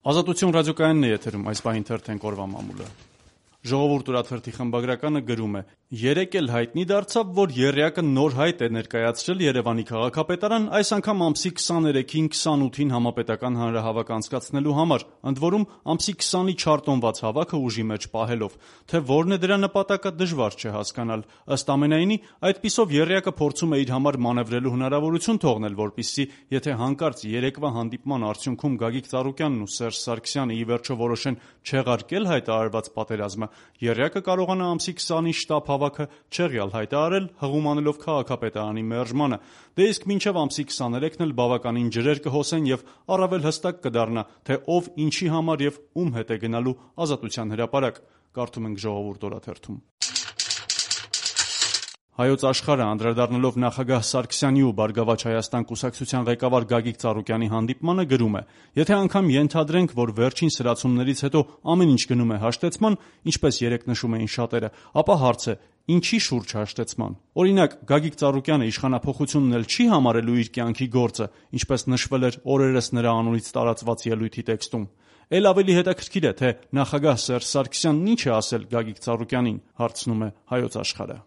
Ազատություն ռադիոկայանն է եթերում, այս պահին թերթենք օրվա մամուլը։ Ժողովուրդ օրաթերթի խմբագրականը գրում է. «Երեկ էլ հայտնի դարձավ, որ եռյակը նոր հայտ է ներկայացրել Երևանի քաղաքապետարան, այս անգամ ամսի 23-ին 28-ին համապետական հանրահավաք անցկացնելու համար, ընդ որում ամսի 20-ի չարտոնված հավաքը ուժի մեջ պահելով։ Թե որն է դրա նպատակը, դժվար չէ հասկանալ։ Ըստ ամենայնի, այդպիսով եռյակը փորձում է իր համար մանևրելու հնարավորություն թողնել, որպեսզի եթե հանկարծ երեկվա հանդիպման արդյունքում Գագիկ Ծառուկյանն ու Սերժ Սարգսյանը ի վերջո որոշեն չեղարկել հայտարարված պատերազմը, եռյակը կարողանա ամսի 20-ի շտապ հավաքը չեղյալ հայտարարել, հղում անելով քաղաքապետարանի մերժմանը։ Դե իսկ մինչև ամսի 23-ն էլ բավականին ջրեր կհոսեն եւ առավել հստակ կդառնա, թե ով ինչի համար եւ ում հետ է գնալու Ազատության հրապարակ»։ Կարդում ենք Ժողովուրդ օրաթերթում։ Հայոց Աշխարհը անդրադառնալով նախագահ Սարգսյանի ու Բարգավաճ Հայաստան կուսակցության ղեկավար Գագիկ Ծառուկյանի հանդիպմանը գրում է. «Եթե անգամ ենթադրենք, որ վերջին սրացումներից հետո ամեն ինչ գնում է հաշտեցման, ինչպես երեկ նշում էին շատերը, ապա հարց է՝ ինչի շուրջ հաշտեցման։ Օրինակ, Գագիկ Ծառուկյանը իշխանափոխությունն էլ չի համարելու իր կյանքի գործը, ինչպես նշվել էր օրերս նրա անունից տարածված ելույթի տեքստում։ Էլ ավելի հետաքրքիր է, թե նախագահ Սերժ Սարգսյանն ինչ է ասել Գագիկ Ծառուկյանին», հարցնում է Հայոց Աշխարհը։